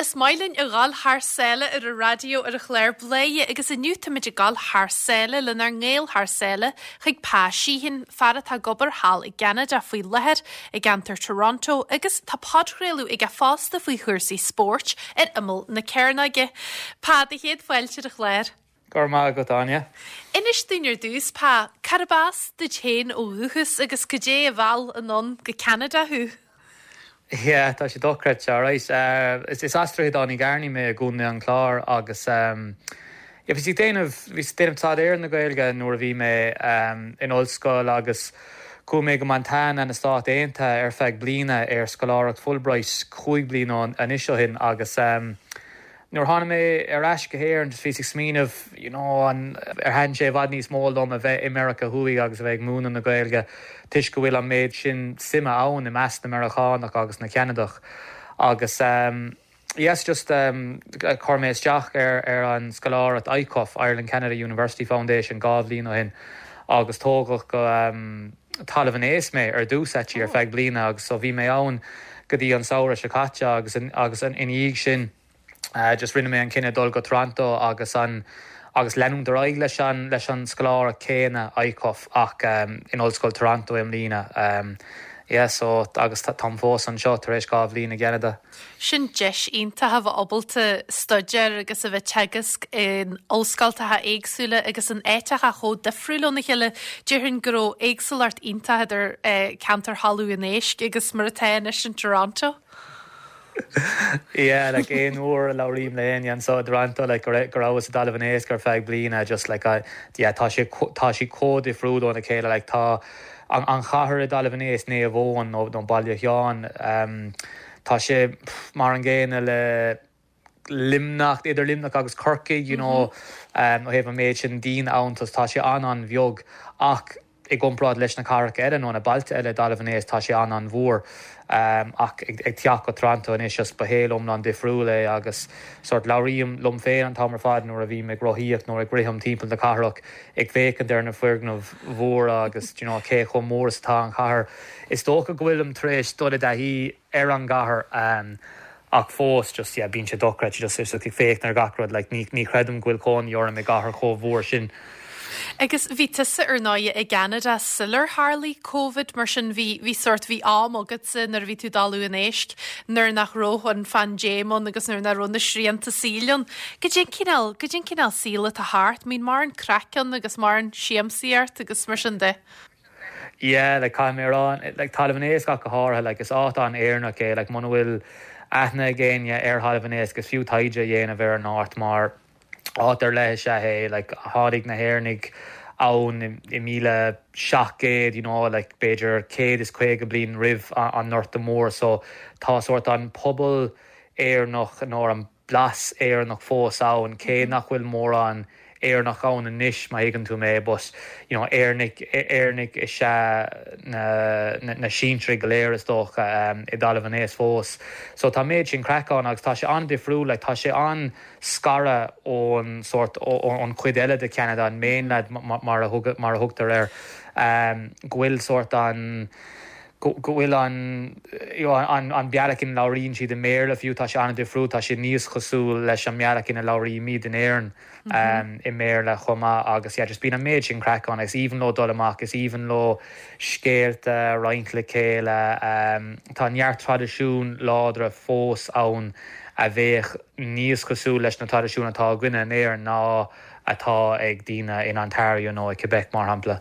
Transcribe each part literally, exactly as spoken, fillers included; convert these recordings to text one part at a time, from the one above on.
Is maith linn a ghabháil thar sáile ar an raidió ar an chlár Bladhaire agus inniu táimid ag gabháil thar sáile lenár nGael thar sáile chuig Pa Sheehan, fear atá ag obair thall i gCeanada faoi láthair i gceantar Toronto agus tá podchraoladh aige fosta faoi chúrsaí spóirt ar imeall na cearnóige. Pa do chéad fáilte ar an chlár. Go raibh maith agat Áine. Inis dúinn ar dtús Pa, cárb as duit féin ó dhúchas agus cad é a mheall anonn go Ceanada thú. Yeah, tá sé dochreidte right. Uh, is is as Droichead Átha na gCearnaí mé i gContae an Chláir agus um, yeah, bhí déanamh bhí déanamh staidéar na Gaeilge nuair a bhí mé um, in ollscoil agus chuaigh mé go Montana na Stát Aontaithe ar feadh bliana ar scoláireacht Fulbright cúig bliana anois ó shin agus um, Nuair tháinig mé ar ais go hÉirinn just bhí ag smaoineamh you know, an ar thaithin sé i bhfad níos mó liom a bheith i Meiriceá Thuaidh agus a bheith ag múineadh na Gaeilge toisc go bhfuil an méid sin suime ann i measc na Meiriceánach agus na Ceanadach agus um, yes just um, chuir mé isteach ar ar an scoláireacht ICUF Ireland Canada University Foundation dhá bhliain ó shin agus tógadh go um, Talamh an Éisc mé ar dtús oh. ar feadh bliana agus so bhí mé ann go dtí an samhradh seo caite agus in, agus an ina dhiaidh sin Uh, just rinne mé an cinneadh dul go Toronto agus an agus leanúint ar aghaidh leis an leis an scoláireacht céanna ICUF ach um, in Ollscoil Toronto i mbliana. Um, yeah, so agus táim fós anseo tar éis dhá bhliain i gCeanada. Sin deis iontach a bheith ábalta staidéar agus a bheith teagasc in ollscoltacha éagsúla agus in áiteacha chomh difriúil óna chéile déarfainn go raibh éagsúlacht iontach idir eh, ceantar Thalamh an Éisc agus mar atá anois in Toronto. Yeah, like aon uair a labhraím le éinne anseo i Toronto like go rabhas i dTalamh an Éisc ar feadh bliana just like uh, yeah, tá sé tá sí chomh difriúil óna chéile like tá an, an chathair i dTalamh an Éisc Naomh Eoin nó nó Baile Sheáin um, tá sé mar an gcéanna le Luimneach idir Luimneach agus Corcaigh you know um, ó thaobh an méid sin daoine ann tá sé an an-bheag ach i gcomparáid leis na cathracha eile nó na bailte eile i dTalamh an Éisc tá sé an an-mhór um, ach ag, ag teacht go Toronto anois just ba shaol iomlán difriúil é agus sort labhraím liom féin an t-am ar fad nuair a bhím ag rothaíocht nó ag rith timpeall na cathrach ag féachaint ar na foirgnimh mhóra agus you know, cé chomh mór is atá an chathair. Is dócha go bhfuilim tar éis dul i dtaithí ar an gcathair um, ach fós just yeah, bíonn sé dochreidte just is ag féachaint ar gach rud like, ní, ní chreidim go bhfuil cónaí orm i gcathair chomh mhór sin. Agus bhí tusa ar ndóigh i gCeanada sular tharla Covid mar sin bhí bhí sort bhí am agatsa nuair a bhí tú i dTalamh an Éisc nuair nach raibh an phaindéim ann agus nuair nach raibh na srianta saoil ann. Cad é an cineál cad é an cineál saoil atá thart, mbíonn mórán craic ann agus mórán siamsaíocht agus mar sin de. Yeah, like caithfidh mé rá like Talamh an Éisc go háirithe like is áit an-Éireannach é like muna bhfuil aithne ag éinne ar Thalamh an Éisc is fiú taighde a dhéanamh ar an áit mar áit ar leith is ea é like tháinig na hÉireannaigh ann i míle seacht gcéad you know like b'fhéidir céad is caoga bliain roimh an nGorta Mór so tá sort an pobal Éireannach nó an blas Éireannach fós ann cé nach bhfuil mórán Éireannach ann anois má thuigeann tú mé but you know Éireannaigh Éireannaigh is ea na na, na sinsir go léir is dócha um, i dTalamh an Éisc fós. So tá méid sin craic ann agus tá sé an-difriúil like, tá sé an-scartha ón sort ón chuid eile de Canada an mainland mar a thug, mar a thugtar air um, go bhfuil sort an go bhfuil an an, an bealach ina labhraíonn siad i mBéarla fiú tá sé an-difriúil tá sé níos cosúil leis an mbealach ina labhraímid in Éirinn mm -hmm. um, i mBéarla chomh maith agus yeah, just bíonn an méid sin craic ann is aoibhinn leo dul amach is aoibhinn leo scéalta roinnt le chéile um, tá neart traidisiún láidre fós ann a bheadh níos cosúil leis na traidisiúin atá againne in Éirinn ná atá ag daoine in Ontario nó i Quebec mar shampla.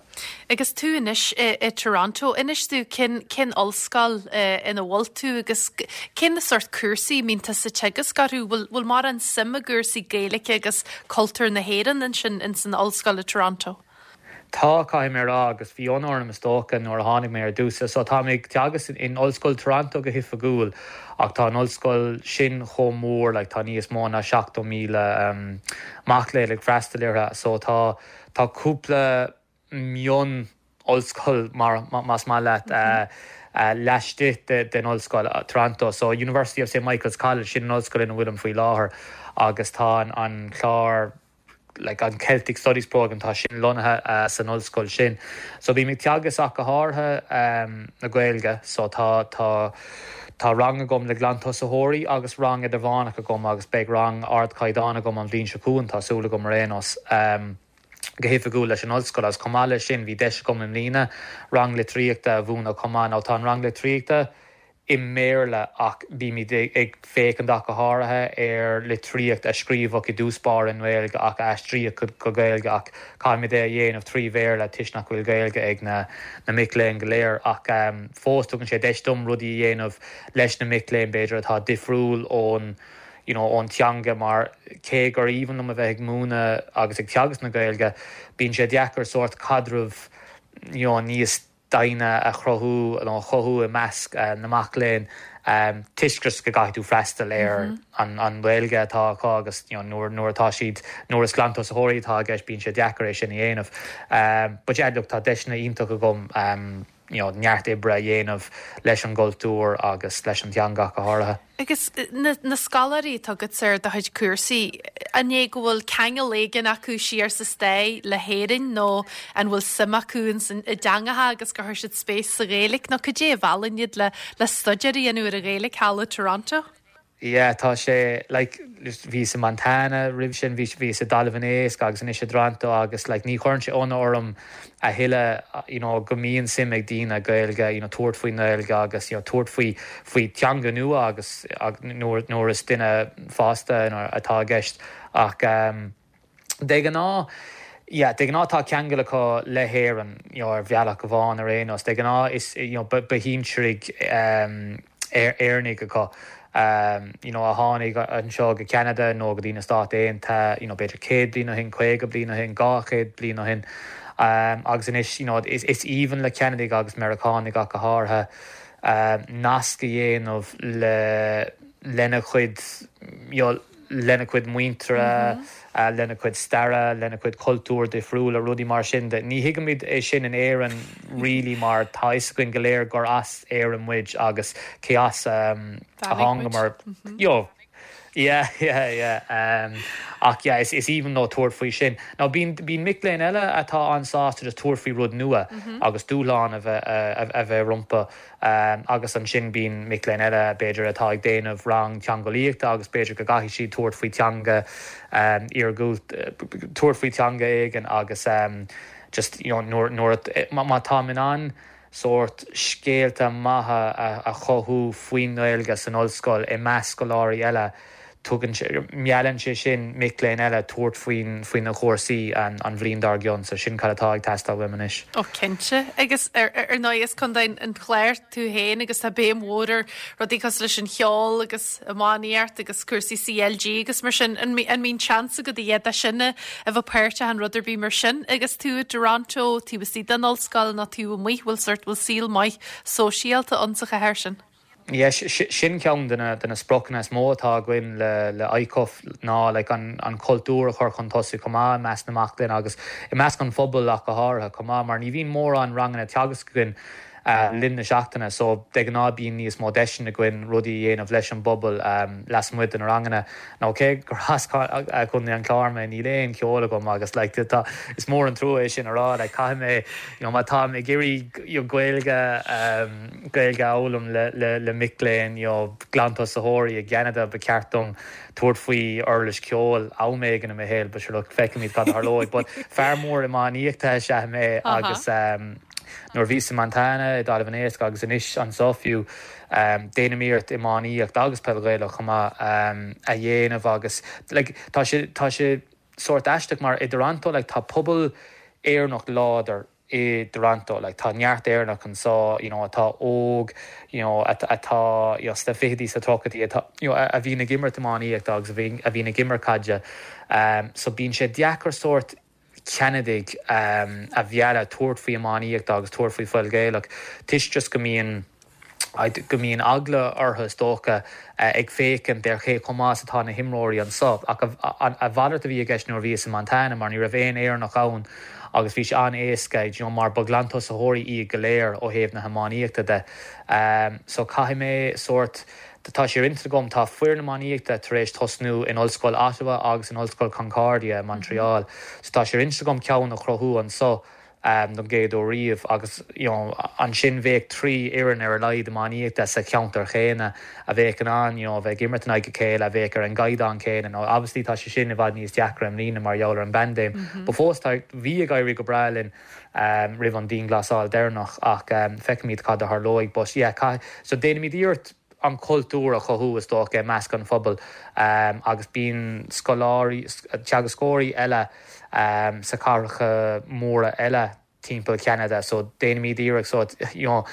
Agus tú anois i, i Toronto inis dúinn cén cén ollscoil ina bhfuil tú agus cén na sort cúrsaí a mbíonn tusa ag teagasc orthu bhfuil bhfuil mórán suim i gcúrsaí Gaeilge agus cultúr na hÉireann ansin in san ollscoil i Toronto. Tá caithfidh mé rá agus bhí ionadh orm is dócha nuair a tháinig mé ar dtús, so tá mé ag teagasc in Ollscoil Toronto go hoifigiúil ach tá an ollscoil sin chomh mór like, tá níos mó ná seachtó míle um, mac léinn ag freastal uirthi so tá tá cúpla mion ollscoil mar más maith leat mm -hmm. uh, uh, laistigh de, den ollscoil uh, Toronto so University of St Michael's College sin an ollscoil ina bhfuilim faoi láthair agus tá an, an clár like an Celtic Studies program tá sin lonnaithe uh, san ollscoil sin. So bím ag teagasc ach go háirithe um, na Gaeilge so tá tá Tá rang agam le glantosaitheoirí agus rang idirmheánach agam agus beidh rang ardchaighdeán agam an bhliain seo chugainn, tá súil agam ar aon nós. Um, go hoifigiúil leis an ollscoil agus chomh maith leis sin bhí deis agam i mbliana rang litríochta a mhúineadh chomh maith. Now tá an rang litríochta i mBéarla ach bímid ag féachaint ach go háirithe ar litríocht a scríobhadh i dtús báire i nGaeilge ach a aistríodh go Gaeilge ach caithfimid é a dhéanamh trí Bhéarla toisc nach bhfuil Gaeilge ag na na mic léinn go léir ach um, fós tugann sé deis dom rudaí a dhéanamh leis na mic léinn b'fhéidir atá difriúil ón you know, ón teanga mar cé gur aoibhinn liom a bheith ag múineadh agus ag teagasc na Gaeilge, bíonn sé deacair sórt caidreamh you know, níos doimhne a chruthú nó a chothú i measc uh, na mac léinn um, toisc go gcaithfidh tú freastal ar mm -hmm. an, an Ghaeilge atá acu agus you know, nuair nuair atá siad nuair is glantosaitheoirí atá i gceist bíonn sé deacair é sin a dhéanamh. Um, but yeah, look, tá deiseanna iontach agam um, you know, neart oibre a dhéanamh leis an gcultúr agus leis an teanga go háirithe. Agus na, na scoláirí atá agat ar do chuid cúrsaí an é go bhfuil ceangal éigin acu siar sa stair le hÉirinn nó an bhfuil suim acu i dteangacha agus gur chuir siad spéis sa Ghaeilge nó cad é a mheallann iad le le staidéar a dhéanamh ar an Ghaeilge thall i Toronto? Yeah, tá sé like, bhíos i Montana roimh sin bhí bhíos i dTalamh an Éisc agus anois i dToronto agus like, ní chuireann sé ionadh orm a thuilleadh you know, go mbíonn suim ag daoine Gaeilge you know, tabhairt faoin nGaeilge agus you know, tabhairt faoi faoi teanga nua agus nuair nuair is duine fásta atá i gceist ach um, de ghnáth Yeah, de ghnáth tá ceangal acu le hÉirinn you know, ar bhealach amháin ar aon nós de ghnáth is you know, ba shinsearaigh um, Éireannaigh acu. Um, you know, a tháinig anseo go Canada nó go dtí na Stáit Aontaithe you know, b'fhéidir céad bliain ó shin caoga bliain ó shin dhá chéad bliain ó shin um, agus anois you know, is, is aoibhinn le Ceanadaigh agus Meiriceánaigh go háirithe um, nasc a dhéanamh le lena chuid you know, lena chuid muintire mm -hmm. uh, lena chuid staire lena chuid cultúr difriúla rudaí mar sin de ní thuigimid é sin in Éirinn really mar tá a fhios againn go léir gur as Éirinn muid agus cé as um, a thángamar mm -hmm. Jo Yeah, yeah, yeah. Um, ach yeah, is, is aoibhinn leo tabhairt faoi sin. Now bíonn bíonn mic léinn eile atá an-sásta just tabhairt faoi rud nua mm -hmm. agus dúshlán a bheith a bheith rompu um, agus ansin bíonn mic léinn eile b'fhéidir atá ag déanamh rang teangeolaíochta agus b'fhéidir go gcaithfidh siad tabhairt faoi teanga um, iargúil tabhairt faoi teanga éigin agus um, just you know, nuair nuair má tá in ann sórt scéalta maithe a, a chothú faoin nGaeilge san ollscoil i measc scoláirí eile tugann meallann sé sin mic léinn eile tabhairt faoin faoi na cúrsaí an, an bhliain dár gcionn, so sin cad atá ag teastáil uaim anois. Ó cinnte agus ar ar ndóigh as Contae an Chláir tú féin agus tá béim mhór ar rudaí cosúil leis an cheol agus iománaíocht agus cúrsaí CLG agus mar sin an an mbíonn seans agat a dhéanamh sin a bheith páirteach in rud ar bith mar sin agus tú i Toronto tú istigh den ollscoil nó tú amuigh bhfuil sórt bhfuil saol maith sóisialta ann sa chathair sin. Yes, sin ceann de na de na spriocanna is mó atá againn le le ICUF ná like, an, an cultúr a chur chun tosaigh chomh maith i measc na mac léinn agus i measc an phobail ach go háirithe chomh maith mar ní bhíonn mórán ranganna teagasc againn uh, linn na seachtaine, so de ghnáth bíonn níos mó deiseanna againn rudaí a dhéanamh leis an bpobal um, lasmuigh de na ranganna. Nó cé gur as Contae an Chláir mé níl aon cheol agam agus like, tá is mór an trua é sin a rá like, caithfidh mé you know, má tá ag iarraidh you know, Gaeilge um, Gaeilge a fhoghlaim le, le, le mic léinn you know, glantosaitheoirí i gCeanada ba cheart dom tabhairt faoi uirlis ceoil am éigin i mo shaol, but sure, look, feicfimid cad a tharlóidh, but fear mór iománaíochta is ea mé agus um, nuair bhíos i Montana i dTalamh an Éisc agus anois anseo fiú um, déanaim iarracht iománaíocht agus peil Ghaelach chomh maith um, a dhéanamh agus like, tá sé tá sé sórt aisteach mar i Toronto like, tá pobal Éireannach láidir i Toronto like, tá neart Éireannach anseo you know, atá óg you know, atá you know, sna fichidí sa tríochaidí atá you know, a bhíonn ag imirt iománaíocht agus a bhíonn ag imirt caide um, so bíonn sé deacair sórt Ceanadaigh um, a mhealladh tabhairt faoi iománaíocht agus tabhairt faoi pheil Ghaelach toisc just go mbíonn go mbíonn eagla orthu is dócha uh, ag féachaint ar cé chomh maith atá na himreoirí anseo ach a mhalairt a bhí i gceist nuair bhíos i Montana mar ní raibh aon Éireannach ann agus bhí sé an-éasca you know, mar ba glantosaitheoirí iad go léir ó thaobh na hiománaíochta de. Um, so caithfidh mé sórt tá sé inste agam tá foireann iománaíochta tar éis tosnú in Ollscoil Ottawa agus in Ollscoil Concordia Montreal. Mm -hmm. So tá sé inste agam ceann a chruthú anseo don gcéad uair riamh agus you know ansin bheadh trí fhoireann ar a laghad iománaíochta sa cheantar chéanna a bheadh in ann you know bheith ag imirt in aghaidh a chéile a bheadh ar an gcaighdeán céanna nó obviously tá sé sin i bhfad níos deacra i mbliana mar gheall ar an bpaindéim mm -hmm. But fós tá bhí ag éirí go breá linn um, roimh an dianghlasáil deireanach ach um, feicfimid cad a tharlóidh but yeah, so déanaimid iarracht an cultúr a chothú is dócha i measc an phobail um, agus bíonn scoláirí teagascóirí eile um, sa cathracha móra eile timpeall Canada so déanaimid iarracht so you know,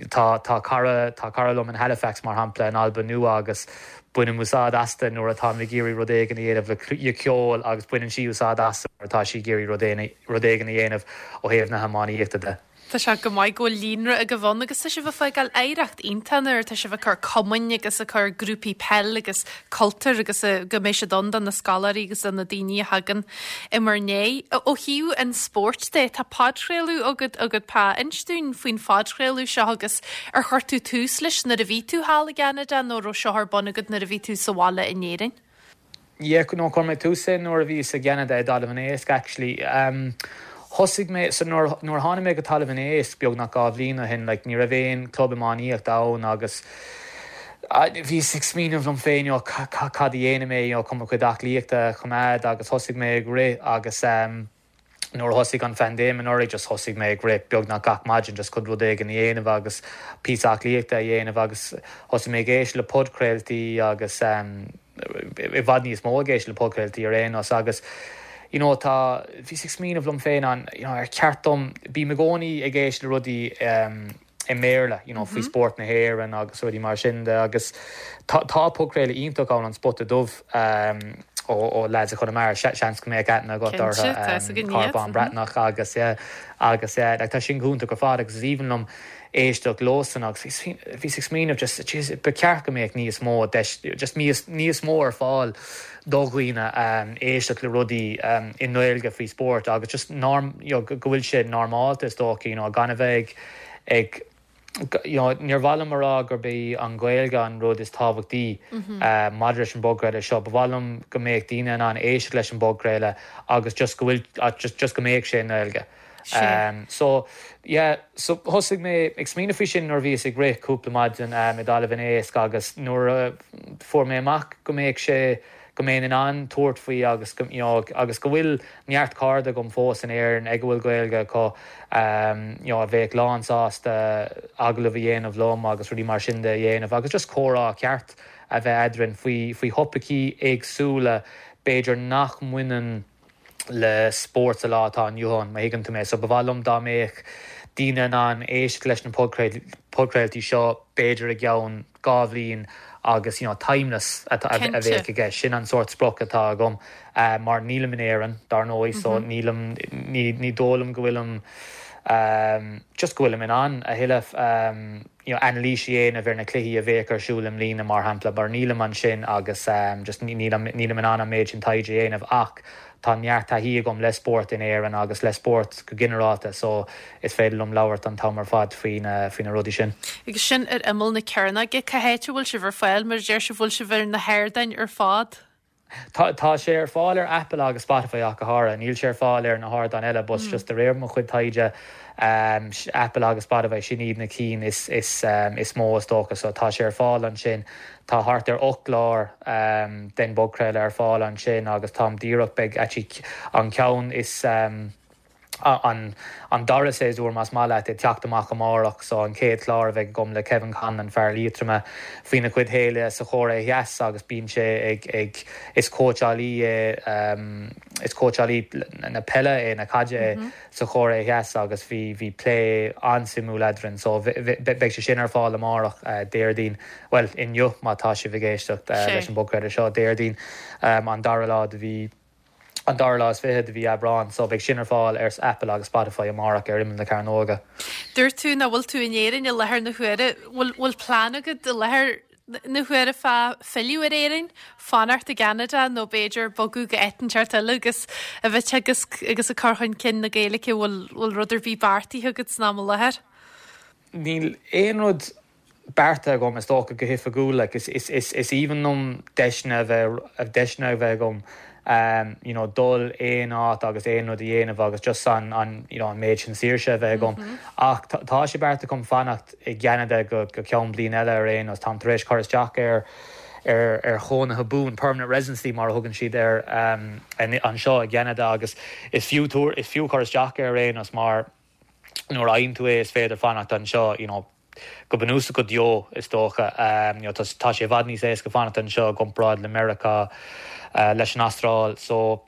tá tá cara tá cara liom in Halifax mar shampla in Albain Nua agus bainim úsáid aisti nuair atá ag iarraidh rud éigin a dhéanamh le ceol agus baineann sí úsáid as atá sí ag iarraidh rud éigin a dhéanamh ó thaobh na hiománaíochta de. Tá sé go maith go líonra agaibh ann agus tá sibh ag fágáil oidhreacht iontach nuair tá sibh ag cur cumainn agus ag cur grúpaí peil agus cultúr agus go mbeidh siad ann do na scoláirí agus do na daoine a thagann i bhur ndiaidh. Ó thaobh an spóirt de tá podchraoladh agat agat Pa inis dúinn faoin phodchraoladh seo agus ar chuir tú tús leis nuair a bhí tú thall i gCeanada nó raibh seo ar bun agat nuair a bhí tú sa bhaile in Éirinn? Yeah, no chuir mé tús é nuair a bhí i gCeanada i dTalamh an Éisc actually. Um, Thosaigh mé so nuair nuair tháinig mé go Talamh an Éisc beagnach dhá bhliain ó shin like, ní raibh aon club iománaíochta ann agus bhíos ag smaoineamh liom féin cad a dhéanfaidh mé chun mo chuid aclaíochta a choimeád agus thosaigh mé ag rith agus um, nuair thosaigh an phaindéim anuraidh just thosaigh mé ag rith beagnach gach maidin just chun rud éigin a dhéanamh agus píosa aclaíochta a dhéanamh agus thosaigh mé ag éisteacht le podchraoltaí agus um, i bhfad níos mó ag éisteacht le podchraoltaí ar aon nós agus you know tá bhíos ag smaoineamh liom féin an you know, ar cheart dom bím i gcónaí ag éisteacht le rudaí um, i mBéarla you know, faoi mm -hmm. spórt na hÉireann agus rudaí mar sin de agus tá tá podchraoladh iontach ann an Spota Dubh um, ó ó lads a Chonamara seans go mbeadh aithne agat orthu Carbán Breatnach agus yeah, agus yeah, like, tá sin iontach ar fad agus is aoibhinn liom éisteacht leosan agus bhíos ag smaoineamh just ba cheart go mbeadh níos mó just níos níos mó ar fáil do dhaoine um, éisteacht le rudaí um, i nGaeilge faoi spórt agus just norm you know, go bhfuil sé normálta is dócha you know, gan a bheith ag you know, níor mhaith liom a rá gurb é an Ghaeilge an rud is tábhachtaí mm -hmm. uh, maidir leis an bpodchraoladh seo, ba mhaith liom go mbeadh daoine in ann éisteacht leis an bpodchraoladh agus just go bhfuil just, just go mbeadh sé i nGaeilge. Um, so yeah, so thosaigh mé ag smaoineamh faoi sin nuair bhíos ag rith cúpla maidin um, i dTalamh an Éisc agus nuair uh, fuair mé amach go mbeadh sé go mbeinn in ann tabhairt faoi agus go, you know, agus go bhfuil neart cairde agam fós in Éirinn ag a bhfuil Gaeilge acu um, you know, a bheadh lán sásta agallamh a dhéanamh liom agus rudaí mar sin de a dhéanamh agus just comhrá ceart a bheith eadrainn faoi faoi thopaicí éagsúla b'fhéidir nach mbaineann le spórt sa lá atá inniu ann má thuigeann tú mé so ba mhaith liom dá mbeadh daoine in ann éisteacht leis na podchraoltaí seo b'fhéidir i gceann dhá bhliain agus you know, timeless a bheith aige sin an sórt sprioc atá agam uh, mar nílim in Éirinn dar ndóigh mm -hmm. so mhm. nílim ní dóigh liom go bhfuilim um, just go bhfuilim in ann a thuilleadh um, you know, anailís a dhéanamh ar na cluichí a bheidh ar siúl i mbliana mar shampla mar nílim ansin agus um, just nílim in ann an méid sin taighde a dhéanamh ach tá neart taithí agam le spórt in Éirinn agus le spórt go ginearálta so is féidir liom labhairt an t-am ar fad faoi na faoi na rudaí sin. Agus sin ar imeall na cearnóige cá háit a bhfuil sibh ar fáil mar deir sibh bhfuil sibh ar na hardáin ar fad. Tá tá sé ar fáil ar Apple agus Spotify ach go háirithe, níl sé ar fáil ar na hardáin eile but mm. just de réir mo chuid taighde um, Apple agus Spotify sin iad na cinn is, is, um, is mó is dócha so tá sé ar fáil ansin tá thart ar ocht gclár um, den bpodchraoladh ar fáil ansin agus táim díreach beidh an ceann is um, an an dara séasúr más maith leat ag teacht amach amárach so an chéad chlár a bheidh agam le Kevin Conlon fear Liatroma faoina chuid shaoil sa Chóiré Theas agus bíonn sé ag ag is cóitseálaí é um, is cóitseálaí na peile é na caide mm -hmm. sa Chóiré Theas agus bhí bhí plé an-suimiúil eadrainn so beidh sé sin ar fáil amárach uh, Déardaoin well inniu má tá sibh ag éisteacht uh, leis an bpodchraoladh seo Déardaoin um, an dara lá de mhí an dara lá is fiche de mhí Aibreán, so beidh sin ar fáil ar Apple agus Spotify amárach ar imeall na cearnóige. Dúirt tú nach bhfuil tú in Éirinn i láthair na huaire bhfuil plean agat i láthair na huaire fá filleadh ar Éirinn, fanacht i gCeanada nó b'fhéidir bogadh go áit inteacht eile agus a bheith agus agus ag cur chun cinn na Gaeilge bhfuil bhfuil rud ar bith beartaithe agat san am i láthair. Níl aon rud beartaithe agam is dócha go hoifigiúil like, is, is, is, is aoibhinn liom deiseanna a bheith deiseanna a bheith agam um, you know, dul aon áit agus aon rud a dhéanamh agus just an, an, you know, an méid sin saoirse a bheith agam. Mm -hmm. Ach tá sé beartaithe agam fanacht i gCeanada go, go ceann bliain eile ar aon nós táim tar éis cur isteach ar ar ar chónaithe buan permanent residency mar a thugann siad air um, anseo i gCeanada agus is fiú túr is fiú cur isteach ar aon nós mar nuair a fhaigheann tú é is féidir fanacht anseo you know, go bunúsach go deo is dócha um, you know, tá sé i bhfad níos éasca fanacht anseo i gcomparáid le Meiriceá uh, leis an Astráil so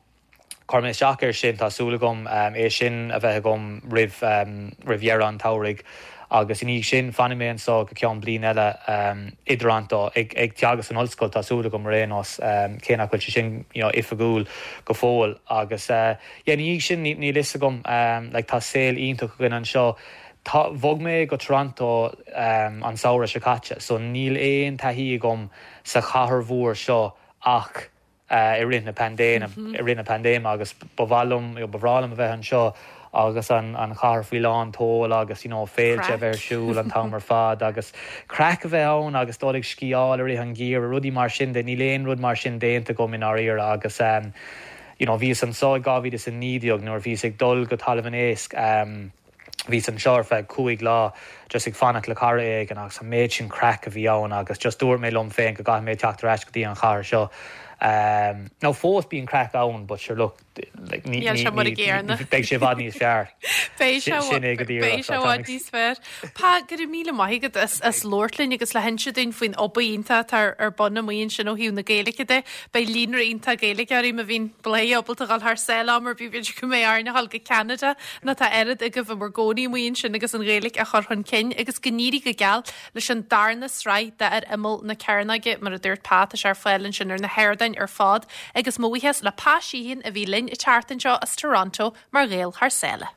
chuir mé isteach air sin tá súil agam um, é sin a bheith agam roimh um, roimh dheireadh an tsamhraidh agus ina dhiaidh sin fanfaidh mé anseo go ceann bliain eile um, i dToronto ag, ag teagasc san ollscoil tá súil agam ar aon nós um, cé nach bhfuil sé sin you know, oifigiúil go fóill agus uh, yeah, ina dhiaidh sin níl a fhios agam um, like, tá saol iontach againn anseo. Tá bhog mé go Toronto um, an samhradh seo caite, so níl aon taithí agam sa chathair mhór seo ach uh, i rith na paindéime mm -hmm. i rith na paindéime agus ba bhreá ba bhreá liom a bheith anseo agus an an chathair faoi lán tseoil agus you know, féilte a bheith ar siúl an t-am ar fad agus craic a bheith ann agus dul ag sciáil i rith an gheimhridh rudaí mar sin de níl aon rud mar sin déanta agam i ndáiríre agus um, you know, bhíos anseo i dhá mhíle is a naoi déag nuair bhíos ag dul go Talamh an Éisc um, bhíos anseo ar feadh cúig lá just ag fanacht le cara éigin agus an méid sin craic a bhí ann agus just dúirt mé liom féin go gcaithfidh mé teacht ar ais go dtí an chathair seo. Um, nó fós bíonn craic ann, but sure look like, ní beidh sé i bhfad níos fearr. Beidh sé i bhfad níos fearr. Pa go raibh míle maith agat as as labhairt linn agus le hinse dúinn faoin obair iontach atá ar bun amuigh ansin ó thaobh na Gaeilge de, Beidh líonra iontach Gaeilgeoirí má bhíonn Bladhaire ábalta dul thar sáile mar b'fhéidir go mbeidh orainn a dhul go Ceanada nó tá oiread agaibh i bhur gcónaí amuigh ansin agus an Ghaeilge a chur chun cinn agus go n-éirí go geal leis an darna sraith de Ar Imeall na Cearnóige mar a dúirt Pa tá sé ar fáil ansin ar na hardáin ar fad agus mo bhuíochas le Pa Sheehan a bhí linn an tseachtain seo as Toronto mar Ghael thar sáile.